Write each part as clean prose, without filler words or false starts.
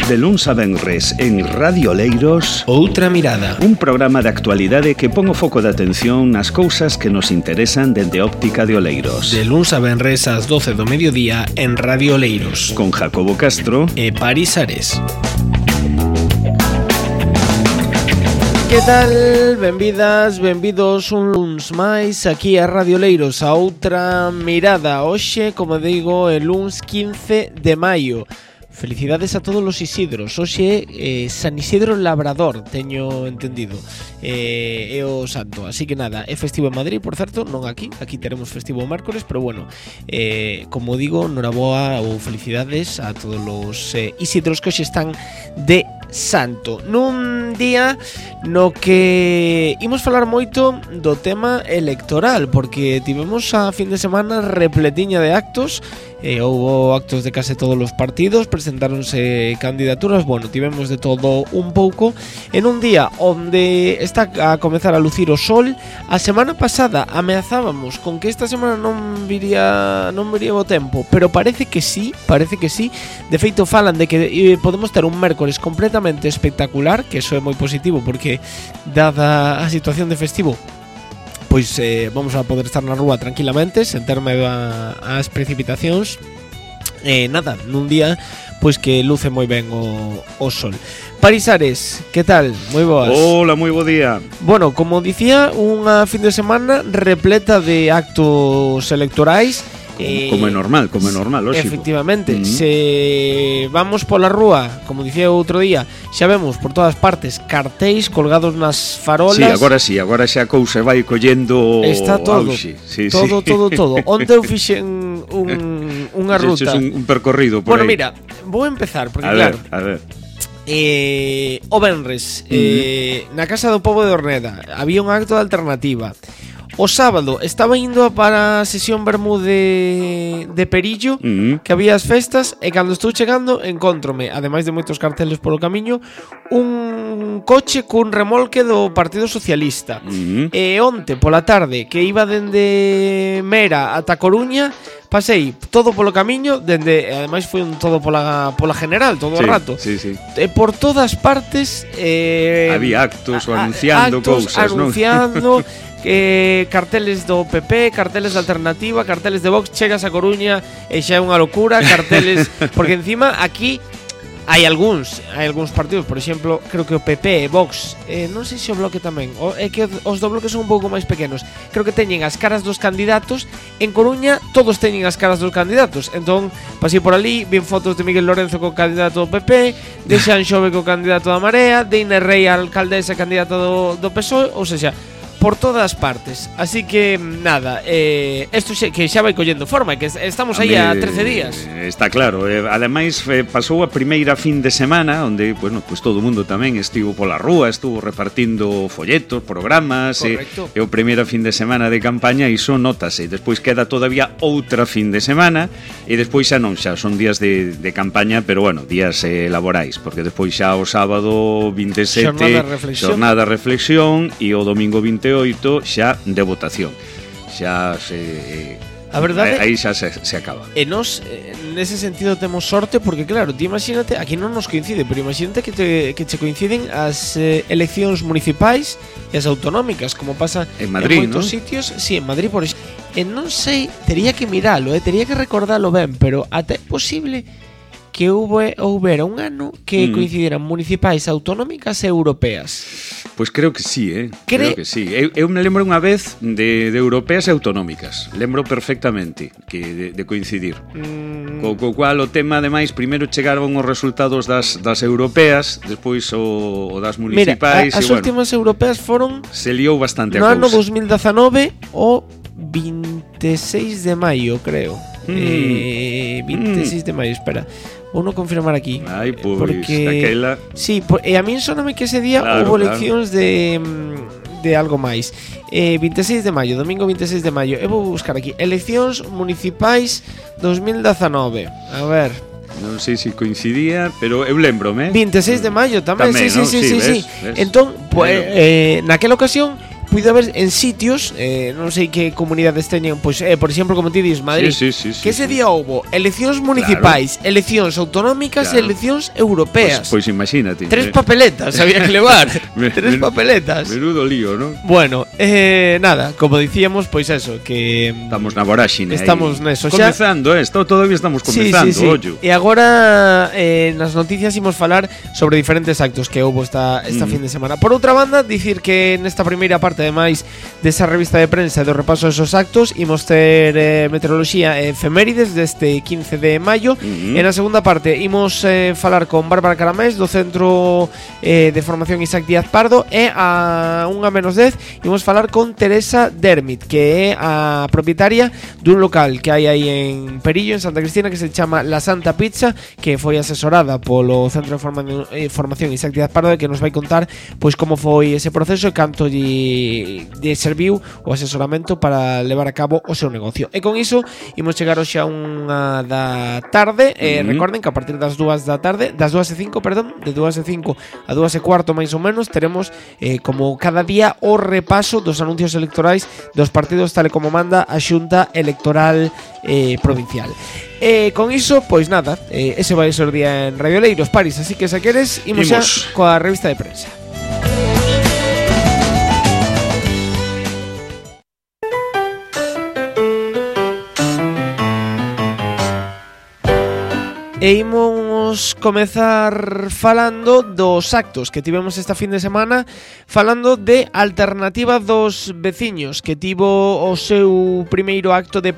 De luns a venres en Radio Oleiros, Outra Mirada, un programa de actualidade que pon o foco de atención nas cousas que nos interesan dende óptica de Oleiros. de luns a venres ás 12 do mediodía en Radio Oleiros, Con Jacobo Castro e Paris Ares. Que tal? Benvidas, benvidos un luns máis aquí a Radio Oleiros, a Outra Mirada. Hoxe, como digo, é luns 15 de maio. Felicidades a todos os Isidros. Hoxe San Isidro Labrador, teño entendido, é o santo. Así que nada, é festivo en Madrid, por certo, non aquí. Aquí teremos festivo o mércoles, pero bueno, como digo, noraboa ou felicidades a todos os Isidros que hoxe están de santo. Nun día no que imos falar moito do tema electoral, porque tivemos a fin de semana repletiña de actos. Houbo actos de case todos os partidos, presentáronse candidaturas, bueno, tivemos de todo un pouco en un día onde está a comezar a lucir o sol. A semana pasada ameazábamos con que esta semana non viría o tempo, pero parece que sí. De feito falan de que podemos ter un mércores completamente espectacular, que eso é moi positivo porque dada a situación de festivo, pois vamos a poder estar na rúa tranquilamente, sen ter medo ás precipitacións. Nada, nun día pois que luce moi ben o sol. Paris Ares, que tal? Moi boas. Hola, moi bo día. Bueno, como dicía, unha fin de semana repleta de actos electorais. Como é normal, lógico. Efectivamente, se vamos pola rúa, como dicía outro día, xa vemos por todas partes cartéis colgados nas farolas. Sí, agora xa a cousa vai collendo. Está todo, auxe. todo. Onde eu fixen unha ruta. Un percorrido por bueno, aí. mira, vou empezar, porque a claro, ver. O venres, na Casa do Pobo de Orneda había un acto de alternativa. O sábado estaba indo para a sesión Bermú de Perillo, que había as festas, e cando estou chegando encontrome, ademais de moitos carteles polo camiño, un coche cun remolque do Partido Socialista. E onte pola tarde, que iba dende Mera ata Coruña, pasei todo polo camiño, ademais foi un todo pola general, todo o rato. Sí. E por todas partes había actos anunciando cousas, anunciando carteles do PP, carteles de alternativa, carteles de Vox. Chegas a Coruña e xa é unha locura, carteles porque encima aquí hai algúns partidos, por exemplo, creo que o PP e Vox, non sei se o Bloque tamén, é que os do Bloque son un pouco máis pequenos, creo que teñen as caras dos candidatos. En Coruña todos teñen as caras dos candidatos, entón pasei por ali, vi fotos de Miguel Lorenzo co candidato do PP, de Xan Xove co candidato da Marea, de Inés Rei a alcaldesa candidata do PSOE, ou seja, por todas partes. Así que nada, isto que xa vai collendo forma, que estamos aí a 13 días. Está claro, ademais pasou a primeira fin de semana onde, bueno, pues todo o mundo tamén estivo pola rúa, estuvo repartindo folletos, programas, e o primeira fin de semana de campaña, iso notase. Despois queda todavía outra fin de semana e despois xa non, xa son días de campaña, pero bueno, días laborais, porque despois xa o sábado 27 xornada reflexión e o domingo 28 xa de votación. Xa se a verdade, aí xa se acaba. E nos, nese sentido, temos sorte, porque claro, ti imagínate, aquí non nos coincide, pero imagínate que che coinciden as eleccións municipais e as autonómicas, como pasa en Madrid, en moitos sitios. Sí, en Madrid, por exemplo. E non sei, tería que miralo, tería que recordalo ben, pero até é posible que houbera un ano que coincidiran municipais, autonómicas e europeas. Pois creo que sí, creo que sí. Eu me lembro unha vez de europeas e autonómicas. Lembro perfectamente que de coincidir. Co cual o tema, ademais, primeiro chegaron os resultados das europeas, despois o das municipais. Mira, as últimas europeas foron... Se liou bastante a cousa. No ano 2019, o 26 de maio, creo. 26 de maio, espera. Vou non confirmar aquí. Ai, pois, porque daquela... Sí, e a min soname que ese día houve eleccións de algo máis. 26 de maio, domingo 26 de maio. Eu vou buscar aquí eleccións municipais 2019. A ver. Non sei se coincidía, pero eu lembrome. 26 de maio tamén, sí. Ves. Entón, pues, naquela ocasión puido haber en sitios, non sei que comunidades teñen, pois, por exemplo, como ti dis, Madrid, que ese día houbo eleccións municipais, eleccións autonómicas e eleccións europeas. Pois imagínate. 3 papeletas había que levar. 3 papeletas. Menudo lío, ¿no? Bueno, nada, como dicíamos, pois eso, que estamos na voráxine. Estamos neso xa. Comezando, todavía estamos comezando, ollo. E agora nas noticias imos falar sobre diferentes actos que houbo esta fin de semana. Por outra banda, dicir que nesta primeira parte, ademais desa revista de prensa e do repaso desos actos, imos ter meteoroloxía e efemérides deste 15 de maio. E na segunda parte imos falar con Bárbara Caramés do Centro de Formación Isaac Díaz Pardo, e a 1:10 imos falar con Teresa Dermit, que é a propietaria dun local que hai aí en Perillo, en Santa Cristina, que se chama La Santa Pizza, que foi asesorada polo Centro de Formación Isaac Díaz Pardo, e que nos vai contar pois como foi ese proceso e canto lle serviu o asesoramento para levar a cabo o seu negocio. E con iso imos chegar hoxe a 1 da tarde. Recorden que a partir das 2 da tarde, das 2:05, perdón, de 2:05 a 2:15 máis ou menos, teremos como cada día o repaso dos anuncios electorais dos partidos tal e como manda a Xunta Electoral provincial. Con iso, pois nada, ese vai ser o día en Radio Leiros, Paris, así que se queres imos xa coa revista de prensa. E imos comezar falando dos actos que tivemos esta fin de semana, falando de Alternativa dos Veciños, que tivo o seu primeiro acto de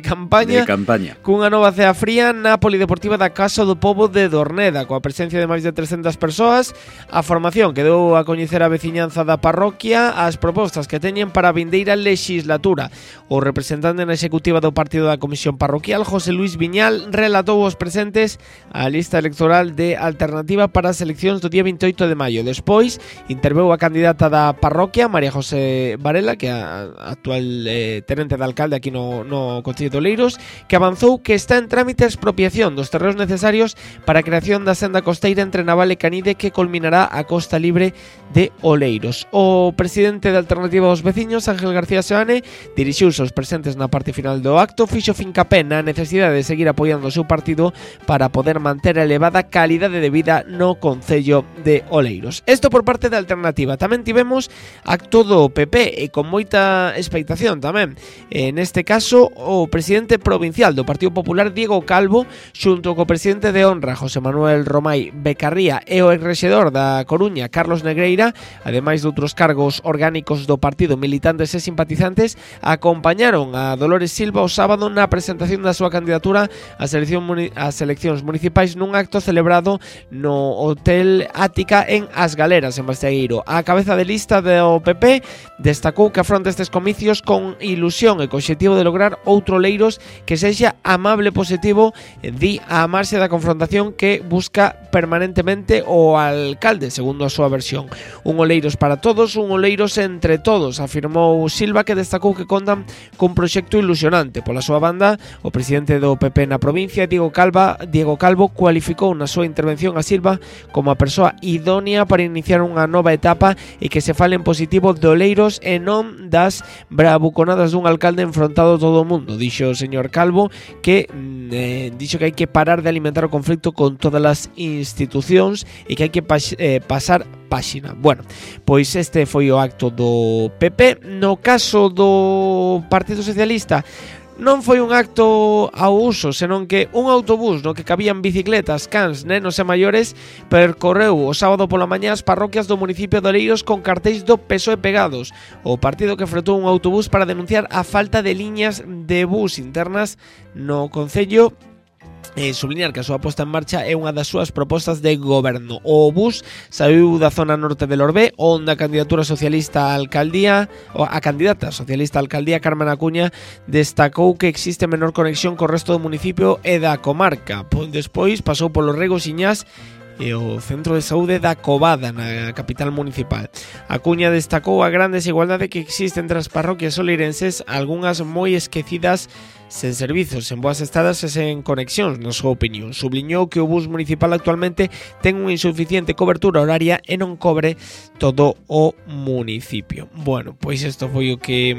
campaña cunha nova cea fría na Polideportiva da Casa do Pobo de Dorneda, coa presencia de máis de 300 persoas. A formación que deu a coñecer a veciñanza da parroquia as propostas que teñen para a vindeira legislatura. O representante na executiva do partido da Comisión Parroquial, José Luis Viñal, relatou aos presentes a lista electoral de Alternativa para as eleccións do día 28 de maio. Despois interveu a candidata da parroquia, María José Varela, que é a actual tenente de alcalde aquí no Concello de Oleiros, que avanzou que está en trámite a expropiación dos terreos necesarios para a creación da senda costeira entre Naval e Canide, que culminará a Costa Libre de Oleiros. O presidente de Alternativa aos Veciños, Ángel García Seoane, dirixiuse aos presentes na parte final do acto, fixo fincapé na necesidade de seguir apoiando o seu partido para poder manter a elevada calidade de vida no Concello de Oleiros. Isto por parte da Alternativa. Tamén tivemos acto do PP e con moita expectación tamén. Neste caso, o presidente provincial do Partido Popular, Diego Calvo, xunto co presidente de honra, José Manuel Romai Becarría, e o exrexedor da Coruña, Carlos Negreira, ademais de outros cargos orgánicos do partido, militantes e simpatizantes, acompañaron a Dolores Silva o sábado na presentación da súa candidatura ás eleccións municipais nun acto celebrado no Hotel Ática en As Galeras, en Bastegueiro. A cabeza de lista do PP destacou que afronta estes comicios con ilusión e co obxectivo de lograr outro Oleiros que sexa amable e positivo, di a marxe da confrontación que busca permanentemente o alcalde, segundo a súa versión. Un Oleiros para todos, un Oleiros entre todos, afirmou Silva, que destacou que contan cun proxecto ilusionante. Pola súa banda, o presidente do PP na provincia, Diego Calvo, cualificou na súa intervención a Silva como a persoa idónea para iniciar unha nova etapa e que se fale en positivo de Oleiros e non das bravuconadas dun alcalde enfrontado todo o mundo. Dixo o señor Calvo que dixo que hai que parar de alimentar o conflicto con todas as institucións e que hai que pasar páxina. Bueno, pois este foi o acto do PP. No caso do Partido Socialista, non foi un acto ao uso, senón que un autobús no que cabían bicicletas, cans, nenos e maiores percorreu o sábado pola mañá as parroquias do municipio de Oleiros con cartéis do PSOE pegados. O partido que fretou un autobús para denunciar a falta de liñas de bus internas no concello, subliñar que a súa posta en marcha é unha das súas propostas de goberno. O bus saiu da zona norte de Lorbé, onde a candidata socialista á alcaldía Carmen Acuña destacou que existe menor conexión co resto do municipio e da comarca. Despois pasou polo Rego, Siñás e o Centro de Saúde da Covada, na capital municipal. Acuña destacou a gran desigualdade que existe entre as parroquias oleirenses, algunhas moi esquecidas sen servizos, sen boas estadas e sen conexións, na súa opinión. Subliñou que o bus municipal actualmente ten unha insuficiente cobertura horaria e non cobre todo o municipio. Bueno, pois isto foi o que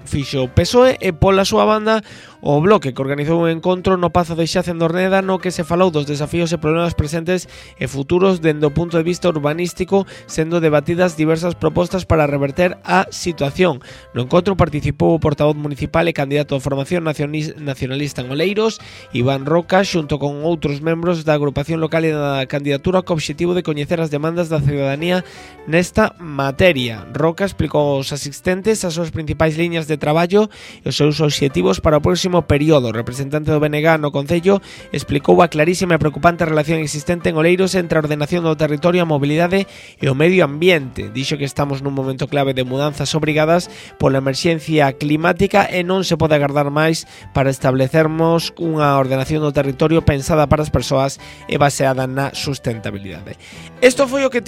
fixo o PSOE e pola súa banda o Bloque, que organizou un encontro no Pazo de Xace en Dorneda no que se falou dos desafíos e problemas presentes e futuros dende o punto de vista urbanístico, sendo debatidas diversas propostas para reverter a situación. No encontro participou o portavoz municipal e candidato a formación nacionalista en Oleiros, Iván Roca, xunto con outros membros da agrupación local e da candidatura co obxectivo de coñecer as demandas da ciudadanía nesta materia. Roca explicou aos asistentes as súas principais liñas de traballo e os seus obxectivos para o próximo período. O representante do BNG no Concello explicou a clarísima e preocupante relación existente en Oleiros entre a ordenación do territorio, a mobilidade e o medio ambiente. Dixo que estamos nun momento clave de mudanzas obrigadas pola emerxencia climática e non se pode agardar máis para establecermos unha ordenación do territorio pensada para as persoas e baseada na sustentabilidade. Isto foi o que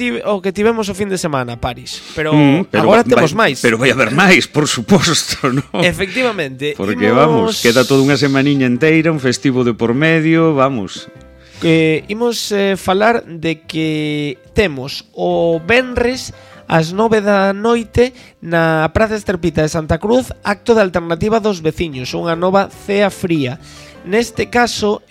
tivemos o fin de semana, Paris, pero agora temos máis. Pero vai haber máis, por suposto, ¿no? Efectivamente. Porque vamos, queda toda unha semaniña inteira, un festivo de por medio, vamos. Imos falar de que temos o venres ás 9 da noite na Praza Esterpita de Santa Cruz acto de alternativa dos veciños, unha nova cea fría. Neste caso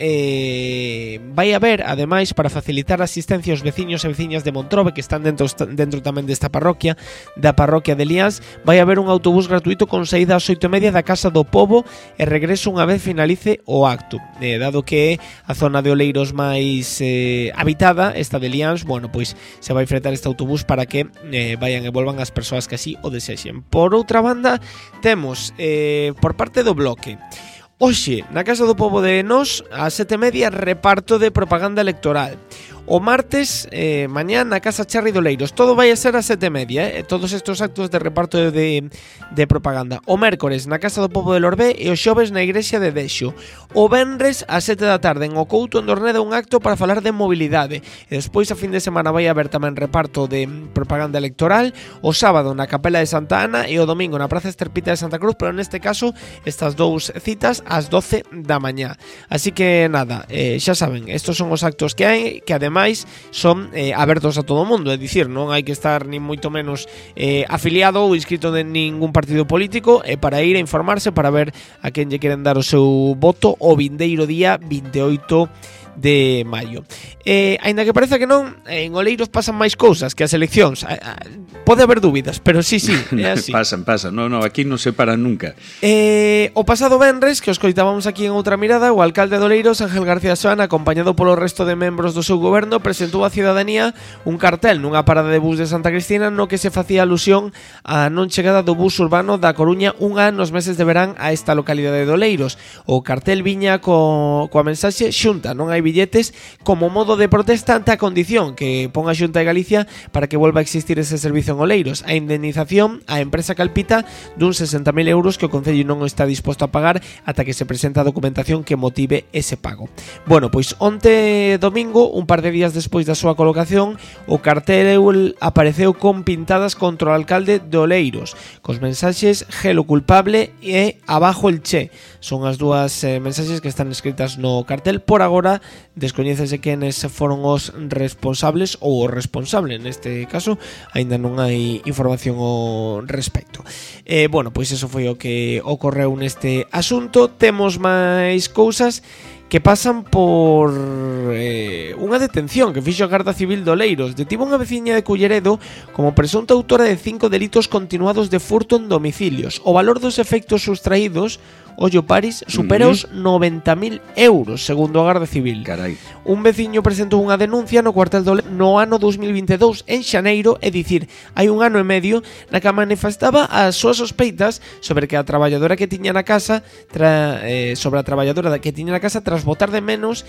vai haber, ademais, para facilitar a asistencia aos veciños e veciñas de Montrobe que están dentro tamén desta parroquia, da parroquia de Liáns, vai haber un autobús gratuito con saída ás 8:30 da Casa do Pobo e regreso unha vez finalice o acto. Dado que é a zona de Oleiros máis habitada, esta de Liáns, bueno, pois se vai fretar este autobús para que vayan e volvan as persoas que así o desexen. Por outra banda, temos por parte do Bloque hoxe, na Casa do Pobo de Nós, ás 7:30, reparto de propaganda electoral. O martes, mañá, na Casa Charri de Oleiros. Todo vai a ser ás 7:30, todos estes actos de reparto de propaganda. O mércores, na Casa do Pobo de Lorbé e o xoves na Igrexa de Deixo. O venres, ás 7 da tarde, en O Couto, en Dorneda, un acto para falar de mobilidade. E despois, a fin de semana, vai haber tamén reparto de propaganda electoral. O sábado, na Capela de Santa Ana e o domingo, na Praza Esterpita de Santa Cruz, pero neste caso, estas dous citas ás 12 da mañá. Así que, nada, xa saben, estos son os actos que hai, que ademais son abertos a todo o mundo, é dicir, non hai que estar nin moito menos afiliado ou inscrito de ningún partido político para ir a informarse, para ver a quen lle queren dar o seu voto o vindeiro día 28 de maio. Aínda que parece que non, en Oleiros pasan máis cousas que as eleccións. Pode haber dúbidas, pero sí, é así. pasan, no, aquí non se paran nunca. O pasado venres, que os coitábamos aquí en Outra Mirada, o alcalde de Oleiros, Ángel García Soana, acompañado polo resto de membros do seu goberno, presentou á ciudadanía un cartel nunha parada de bus de Santa Cristina no que se facía alusión á non chegada do bus urbano da Coruña unha nos meses de verán a esta localidade de Oleiros. O cartel viña coa mensaxe: Xunta, non hai billetes, como modo de protesta ante a condición que pon a Xunta de Galicia para que volva a existir ese servicio en Oleiros. A indemnización á empresa Calpita dun 60.000 euros que o Concello non está disposto a pagar ata que se presenta a documentación que motive ese pago. Bueno, pois onte domingo, un par de días despois da súa colocación, o cartel apareceu con pintadas contra o alcalde de Oleiros, cos mensaxes "Gelo culpable" e "Abajo el Che". Son as dúas mensaxes que están escritas no cartel. Por agora, descoñécese quenes foron os responsables ou o responsable neste caso, aínda non hai información ao respecto. Bueno, pois eso foi o que ocorreu neste asunto. Temos máis cousas que pasan por unha detención que fixo a Garda Civil de Oleiros. Detivo unha veciña de Culleredo como presunta autora de 5 delitos continuados de furto en domicilios. O valor dos efectos sustraídos, ollo Paris, supera os 90.000 euros, segundo a Garda Civil. Carai. Un veciño presentou unha denuncia no cuartel do no ano 2022, en xaneiro, é dicir, hai un ano e medio, na que manifestaba as súas sospeitas sobre que a traballadora que tiña na casa tras botar de menos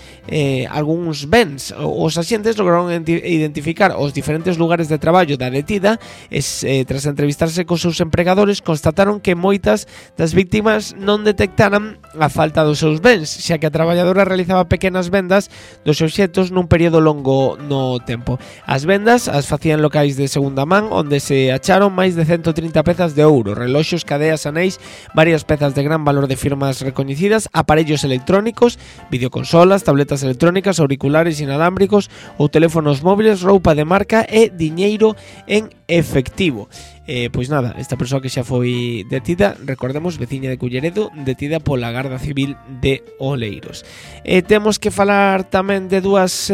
algúns bens. Os axentes lograron identificar os diferentes lugares de traballo da detida e tras entrevistarse cos seus empregadores constataron que moitas das víctimas non detectaron detectaran a falta dos seus bens, xa que a traballadora realizaba pequenas vendas dos obxectos nun período longo no tempo. As vendas as facían en locais de segunda man, onde se acharon máis de 130 pezas de ouro, reloxos, cadeas, anéis, varias pezas de gran valor de firmas recoñecidas, aparellos electrónicos, videoconsolas, tabletas electrónicas, auriculares inalámbricos ou teléfonos móviles, roupa de marca e diñeiro en efectivo. Pois nada, esta persoa que xa foi detida, recordemos, veciña de Culleredo, detida pola Garda Civil de Oleiros. Temos que falar tamén de dúas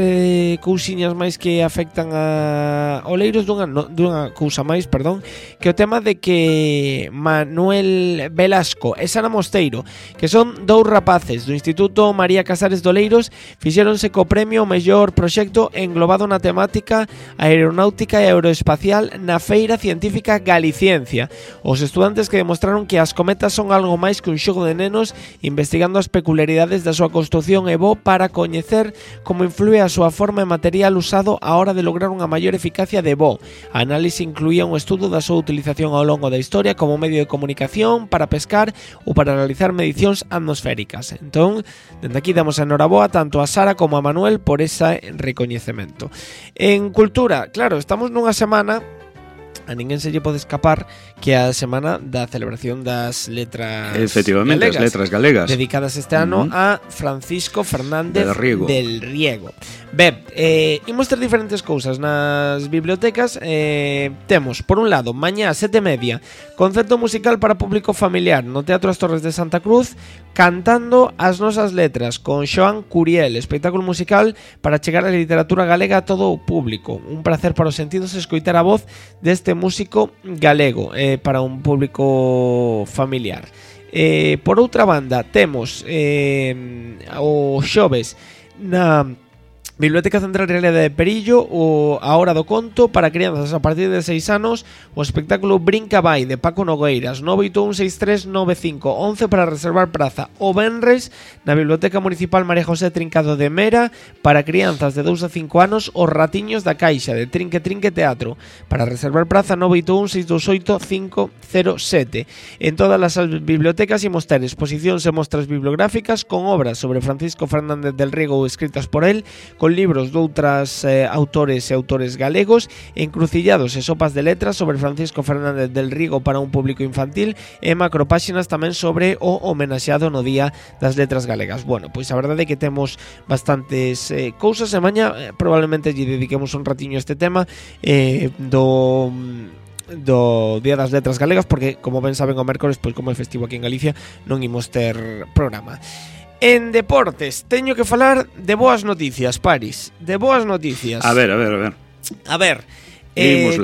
cousiñas máis que afectan a Oleiros, dunha cousa máis, perdón, que o tema de que Manuel Velasco e Sara Mosteiro, que son dous rapaces do Instituto María Casares de Oleiros, fixéronse co premio ao mellor proxecto englobado na temática aeronáutica e aeroespacial na Feira Científica Galiciencia. Os estudantes que demostraron que as cometas son algo máis que un xogo de nenos, investigando as peculiaridades da súa construción e voo para coñecer como influe a súa forma e material usado á hora de lograr unha maior eficacia de voo. A análise incluía un estudo da súa utilización ao longo da historia como medio de comunicación, para pescar ou para realizar medicións atmosféricas. Entón, dende aquí damos a enhoraboa tanto a Sara como a Manuel por ese recoñecemento. En cultura, claro, estamos nunha semana, a ninguén se lle pode escapar, que a semana da celebración das letras efectivamente, galegas, as letras galegas, dedicadas este ano a Francisco Fernández del Riego. Ben, imos ter diferentes cousas nas bibliotecas. Temos, por un lado, mañá 7:30, concerto musical para público familiar no Teatro As Torres de Santa Cruz, cantando as nosas letras con Xoán Curiel, espectáculo musical para chegar a literatura galega a todo o público. Un placer para os sentidos escoitar a voz deste músico galego para un público familiar. Por outra banda, temos o xoves na Biblioteca Central Realidade de Perillo a Hora do Conto para crianzas a partir de 6 anos, o espectáculo Brinca Vai de Paco Nogueiras, 981639511 para reservar praza. O venres na Biblioteca Municipal María José Trincado de Mera para crianzas de 2 a 5 anos, Os Ratiños da Caixa de Trinque Trinque Teatro para reservar praza, 981628507. En todas as bibliotecas imos ter exposicións e mostras bibliográficas con obras sobre Francisco Fernández del Riego escritas por él, con libros de outras autores e autores galegos, encrucillados e sopas de letras sobre Francisco Fernández del Riego para un público infantil e macropáxinas tamén sobre o homenaxeado no Día das Letras Galegas. Bueno, pois a verdade é que temos bastantes cousas e mañá probablemente lle dediquemos un ratiño a este tema do Día das Letras Galegas, porque como ben saben o mércores, pois como é festivo aquí en Galicia, non imos ter programa. En deportes, teño que falar de boas noticias, Paris. De boas noticias. A ver.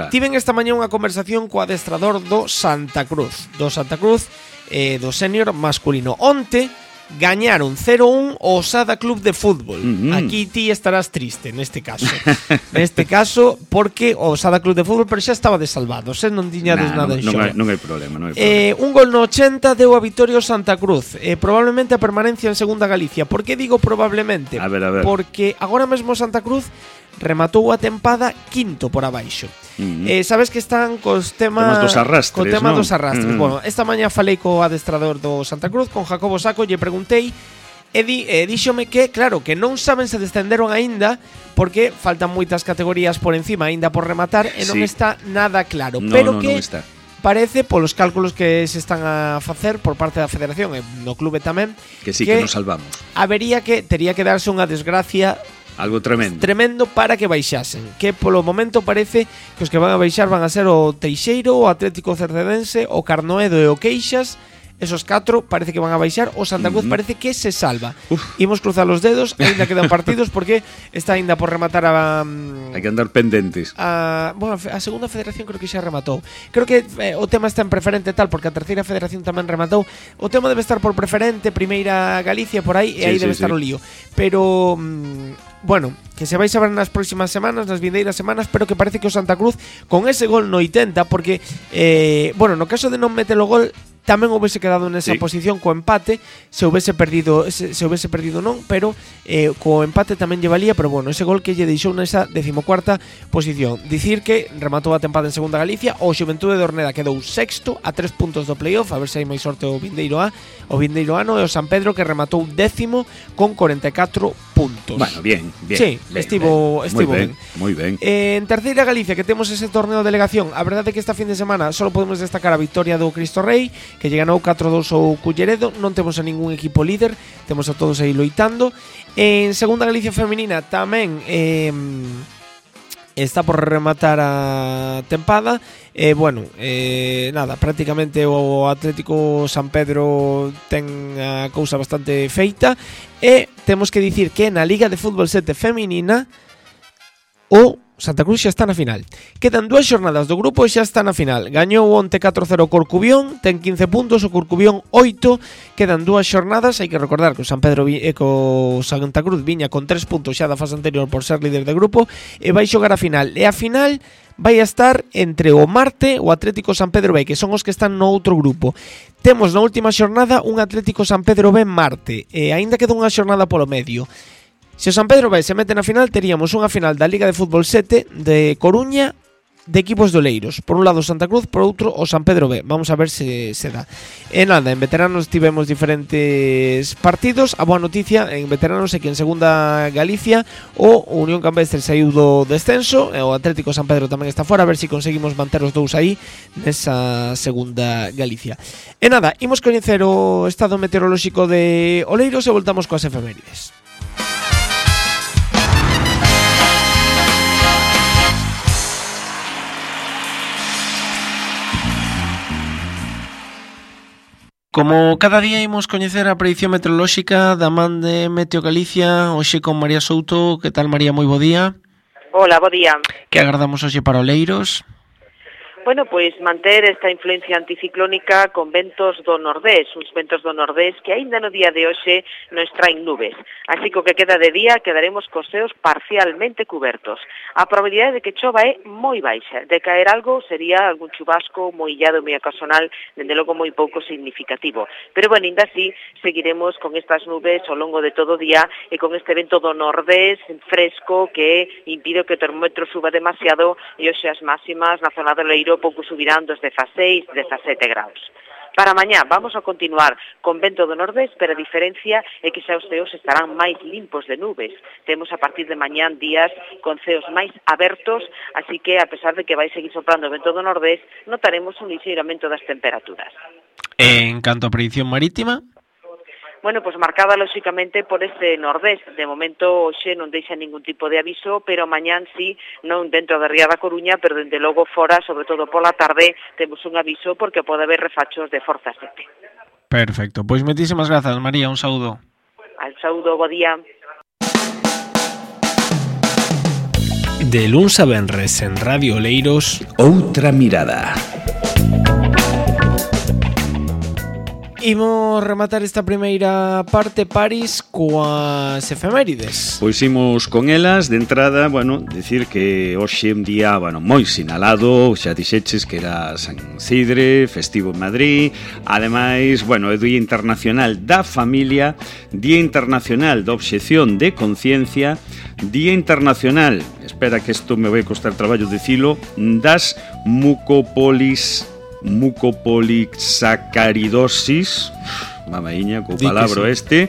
Tiven esta mañá unha conversación co adestrador do Santa Cruz. Do sénior masculino. Onte gañaron 0-1 o Osada Club de Fútbol. Aquí ti estarás triste neste caso. Neste caso, porque o Osada Club de Fútbol pero xa estaba desalvado, non tiñades nada en xogo. Non hai problema. Un gol no 80 deu a vitoria ao Santa Cruz. Probablemente a permanencia en Segunda Galicia. Por que digo probablemente? A ver. Porque agora mesmo Santa Cruz rematou a tempada quinto por abaixo. Sabes que están cos temas dos arrastres, co tema dos arrastres. Bueno, esta mañá falei co adestrador do Santa Cruz, con Jacobo Saco, lle preguntei e díxome que, claro, que non saben se descenderon aínda porque faltan moitas categorías por encima aínda por rematar e non está nada claro, pero que non está. Parece, polos cálculos que se están a facer por parte da Federación e no clube tamén, que sí, que nos salvamos. Tería que darse unha desgracia algo tremendo para que baixasen, que polo momento parece que os que van a baixar van a ser o Teixeiro, o Atlético Cercedense, o Carnoedo e o Queixas. Esos 4 parece que van a baixar. O Santa Cruz parece que se salva. Imos cruzar os dedos, ainda quedan partidos porque está ainda por rematar hai que andar pendentes. Bueno, a segunda federación creo que xa rematou. Creo que o tema está en preferente tal, porque a terceira federación tamén rematou. O tema debe estar por preferente, primeira Galicia por aí, e aí debe estar o lío. Pero bueno, que se vais a ver nas próximas semanas, nas vindeiras semanas, pero que parece que o Santa Cruz con ese gol no 80, porque bueno, no caso de non meter o gol tamén houvese quedado nesa posición co empate, se houvese perdido non, pero co empate tamén lle valía, pero bueno, ese gol que lle deixou nesa 14ª posición. Dicir que rematou a tempada en Segunda Galicia, o Xuventude de Orneda quedou sexto a 3 puntos do playoff, a ver se hai máis sorte o vindeiro ano, e o San Pedro que rematou 10º con 44 puntos. Bueno, bien. Sí, estivo ben. Moi ben. En Terceira Galicia, que temos ese torneo de delegación, a verdade é que esta fin de semana só podemos destacar a victoria do Cristo Rei, que lle ganou 4-2 ao Culleredo. Non temos a ningún equipo líder, temos a todos aí loitando. En Segunda Galicia feminina tamén está por rematar a tempada. Nada, prácticamente o Atlético San Pedro ten a cousa bastante feita, e temos que dicir que na Liga de Fútbol 7 feminina o Santa Cruz xa está na final. Quedan 2 xornadas do grupo e xa está na final. Gañou onte 4-0 o Corcubión, ten 15 puntos, o Corcubión 8. Quedan 2 xornadas, hai que recordar que o San Pedro co Santa Cruz viña con 3 puntos xa da fase anterior por ser líder de grupo, e vai xogar a final. E a final vai a estar entre o Marte e o Atlético San Pedro B, que son os que están no outro grupo. Temos na última xornada un Atlético San Pedro B Marte, e aínda queda unha xornada polo medio. Se o San Pedro B se mete na final, teríamos unha final da Liga de Fútbol 7 de Coruña de equipos de Oleiros. Por un lado o Santa Cruz, por outro o San Pedro B. Vamos a ver se dá. E nada, en veteranos tivemos diferentes partidos. A boa noticia en veteranos é que en Segunda Galicia o Unión Campestre saiu do descenso, e o Atlético San Pedro tamén está fora. A ver se conseguimos manter os dous aí nesa Segunda Galicia. E nada, imos coñecer o estado meteorolóxico de Oleiros e voltamos coas efemérides. Como cada día imos coñecer a predicción meteorolóxica da man de Meteo Galicia, hoxe con María Souto. Que tal, María? Moi bo día. Hola, bo día. Que agardamos hoxe para Oleiros? Bueno, pois manter esta influencia anticiclónica con ventos do nordés, uns ventos do nordés que aínda no día de hoxe nos traen nubes. Así que o que queda de día quedaremos cos ceos parcialmente cubertos. A probabilidade de que chova é moi baixa. De caer algo sería algún chubasco moi illado, moi ocasional, dende logo moi pouco significativo. Pero bueno, ainda así seguiremos con estas nubes ao longo de todo o día e con este vento do nordés fresco que impide que o termómetro suba demasiado, e hoxe as máximas na zona de Leiro pouco subirán dos 16, 17 graus. Para mañá vamos a continuar con vento do nordés, pero a diferencia é que xa os ceos estarán máis limpos de nubes. Temos a partir de mañán días con ceos máis abertos, así que a pesar de que vai seguir soprando o vento do nordés, notaremos un lixeiramento das temperaturas. En canto a predicción marítima? Bueno, pues marcada lóxicamente por este nordés. De momento hoxe non deixa ningún tipo de aviso, pero mañán sí, non dentro da ría da Coruña, pero dende logo fora, sobre todo pola tarde, temos un aviso porque pode haber refachos de forza 7. Perfecto, pois moitísimas grazas, María, un saúdo. Al saúdo, bo día. De luns a venres en Radio Oleiros, Outra mirada. Imos rematar esta primeira parte, París, coas efemérides. Pois imos con elas. De entrada, bueno, decir que hoxe un día, bueno, moi sinalado. Xa dixeches que era San Isidre, festivo en Madrid. Ademais, bueno, é Día Internacional da Familia, Día Internacional da Obxección de Conciencia, Día Internacional, espera que isto me vai costar traballo dicilo, das mucopolisacaridosis, mamaiña, co palabra este,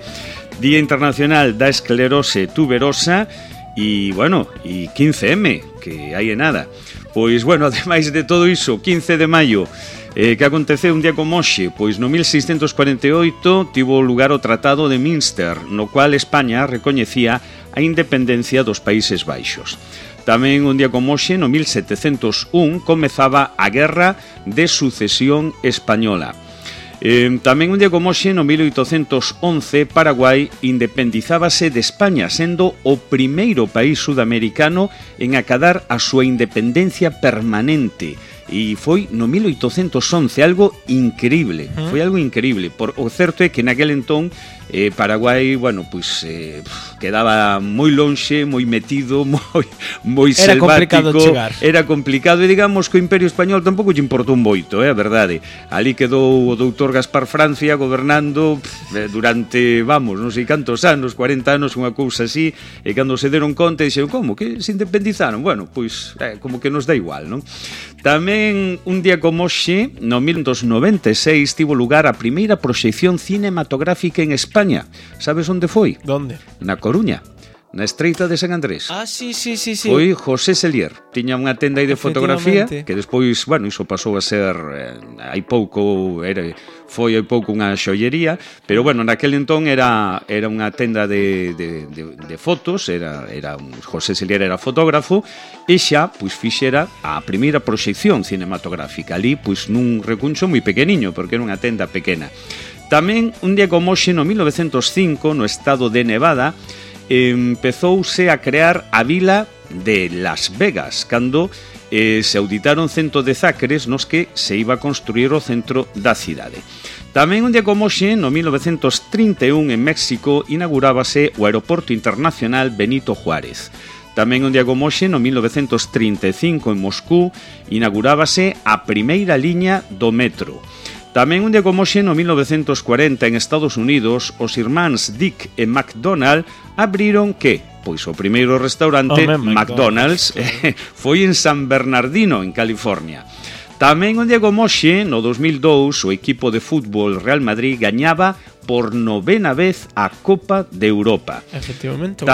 Día Internacional da Esclerose Tuberosa e, bueno, e 15M, que hai en nada. Pois, bueno, ademais de todo iso, 15 de maio, que aconteceu un día como hoxe, pois no 1648 tivo lugar o Tratado de Münster, no cual España recoñecía a independencia dos Países Baixos. Tamén un día como hoxe, no 1701, comezaba a Guerra de Sucesión Española. Tamén un día como hoxe, no 1811, Paraguai independizábase de España, sendo o primeiro país sudamericano en acadar a súa independencia permanente. E foi no 1811, algo increíble, foi algo increíble. O certo é que naquel entón Paraguai, bueno, pois quedaba moi lonxe, moi metido, moi era selvático, complicado chegar. Era complicado e digamos que o Imperio Español tampouco lle importou moito, a verdade. Ali quedou o doutor Gaspar Francia gobernando durante, vamos, non sei cantos anos, 40 anos, unha cousa así, e cando se deron conta dixeron, como que se independizaron? Bueno, pois como que nos dá igual, non? Tamén un día como hoxe, no 1996, tivo lugar a primeira proxección cinematográfica en España. Sabes onde foi? Donde? Na Coruña, na Estreita de San Andrés. Ah, sí. Foi José Selier. Tiña unha tenda aí de fotografía que despois, bueno, iso pasou a ser hai pouco unha xollería, pero bueno, naquel entón era unha tenda de fotos, era José Selier era fotógrafo e xa pois fixera a primeira proxección cinematográfica ali, pois nun recuncho moi pequeniño, porque era unha tenda pequena. Tamén un día como hoxe no 1905, no estado de Nevada, empezouse a crear a vila de Las Vegas, cando se auditaron 110 acres nos que se iba a construir o centro da cidade. Tamén un día como hoxe, no 1931, en México, inaugurábase o Aeroporto Internacional Benito Juárez. Tamén un día como hoxe, no 1935, en Moscú, inaugurábase a primeira liña do metro. Tamén un día como hoxe, no 1940, en Estados Unidos, os irmáns Dick e McDonald abriron que? Pois o primeiro restaurante McDonald's foi en San Bernardino, en California. Tamén un día como hoxe, no 2002, o equipo de fútbol Real Madrid gañaba por 9ª vez a Copa de Europa. Efectivamente,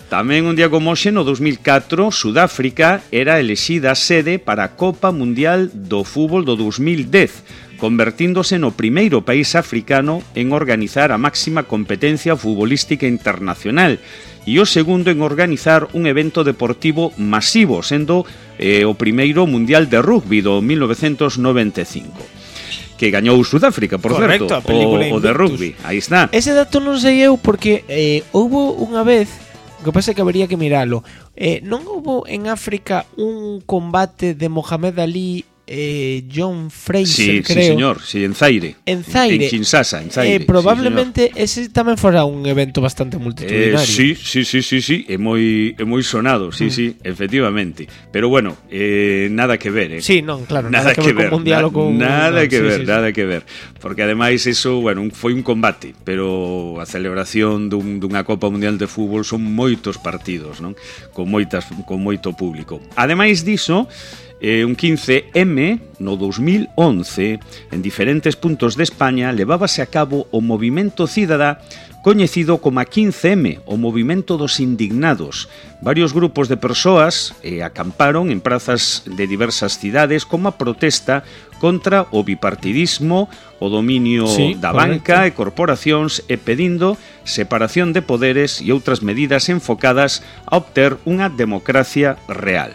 tamén un día como hoxe, no 2004, Sudáfrica era elexida sede para a Copa Mundial do Fútbol do 2010, convertíndose no primeiro país africano en organizar a máxima competencia futbolística internacional e o segundo en organizar un evento deportivo masivo, sendo o primeiro Mundial de Rugby do 1995. Que gañou Sudáfrica, por certo, o de rugby. Aí está. Ese dato non sei eu porque houbo unha vez, o que pasa é que habería que miralo. Non houbo en África un combate de Mohamed Ali John Fraser, creo. Sí, señor, sí, en Zaire. En Kinshasa, en Zaire. Probablemente ese tamén fora un evento bastante multitudinario. Sí, é moi sonado, sí, efectivamente. Pero bueno, nada que ver, Sí, non, claro, nada que ver con mundial ou con... Nada que ver. Porque ademais eso, bueno, foi un combate, pero a celebración dunha Copa Mundial de Fútbol son moitos partidos, non? Con moito público. Ademais diso, un 15M, no 2011, en diferentes puntos de España, levábase a cabo o movimento cidadá coñecido como a 15M, o movimento dos indignados. Varios grupos de persoas acamparon en prazas de diversas cidades como a protesta contra o bipartidismo, o dominio da banca e corporacións e pedindo separación de poderes e outras medidas enfocadas a obter unha democracia real.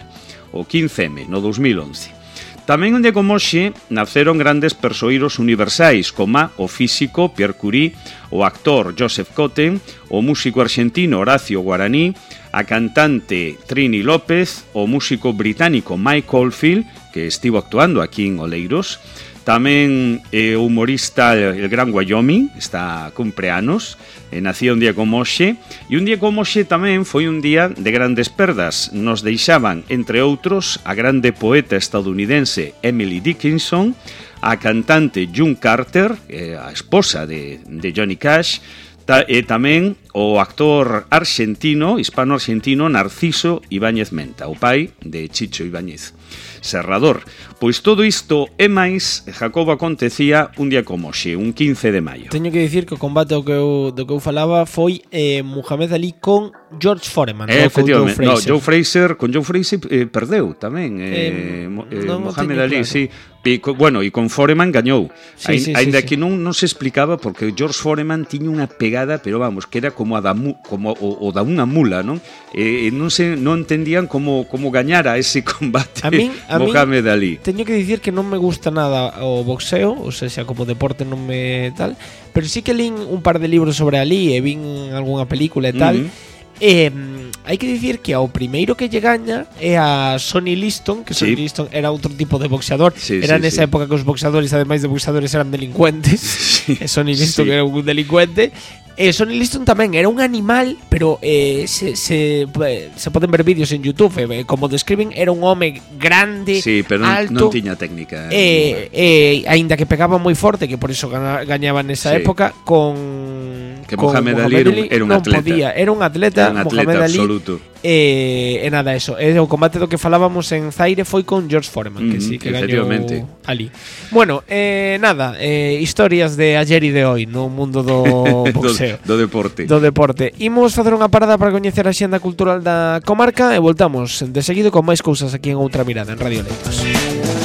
O 15M, no 2011. Tamén un día como hoxe naceron grandes persoeiros universais como o físico Pierre Curie, o actor Joseph Cotten, o músico argentino Horacio Guaraní, a cantante Trini López, o músico británico Mike Oldfield, que estivo actuando aquí en Oleiros, tamén o humorista el Gran Wyoming, está cumpleanos, nacía un día como hoxe, e un día como hoxe tamén foi un día de grandes perdas. Nos deixaban, entre outros, a grande poeta estadounidense Emily Dickinson, a cantante June Carter, a esposa de Johnny Cash, e tamén o actor hispano-argentino Narciso Ibáñez Menta, o pai de Chicho Ibáñez Serrador. Pois todo isto e máis, Jacobo, acontecía un día como hoxe, un 15 de maio. Teño que dicir que o combate do que eu falaba foi Muhammad Ali con George Foreman, efectivamente, con Joe Fraser. Con Joe Fraser perdeu tamén, Muhammad Ali, sí. Bueno, e con Foreman gañou. Ainda que non se explicaba, porque George Foreman tiña unha pegada, pero vamos, que era como o da unha mula, non? Non entendían como gañara ese combate Muhammad Ali. Teño que dicir que non me gusta nada o boxeo, ou seja, como deporte non me tal, pero sí que lín un par de libros sobre Ali e vin algunha película e tal. Hai que dicir que ao primeiro que lle gaña é a Sonny Liston, que Sonny Liston era outro tipo de boxeador. Era nesa época que os boxeadores, ademais de boxeadores, eran delincuentes. E Sonny Liston era un delincuente. Sonny Liston tamén era un animal, pero se poden ver vídeos en YouTube, como describen, era un home grande, pero alto, non tiña técnica. Aínda que pegaba moi forte, que por iso gañaba nesa época, Mohamed Ali era un atleta. Era un atleta Mohamed Ali, absoluto. E nada, eso. O combate do que falábamos en Zaire foi con George Foreman, que sí, que gañou Ali. Bueno, nada, historias de ayer e de hoy no mundo do boxeo. Do deporte. Imos facer unha parada para coñecer a xenda cultural da comarca e voltamos de seguido con máis cousas aquí en Outra Mirada en Radio Leiros.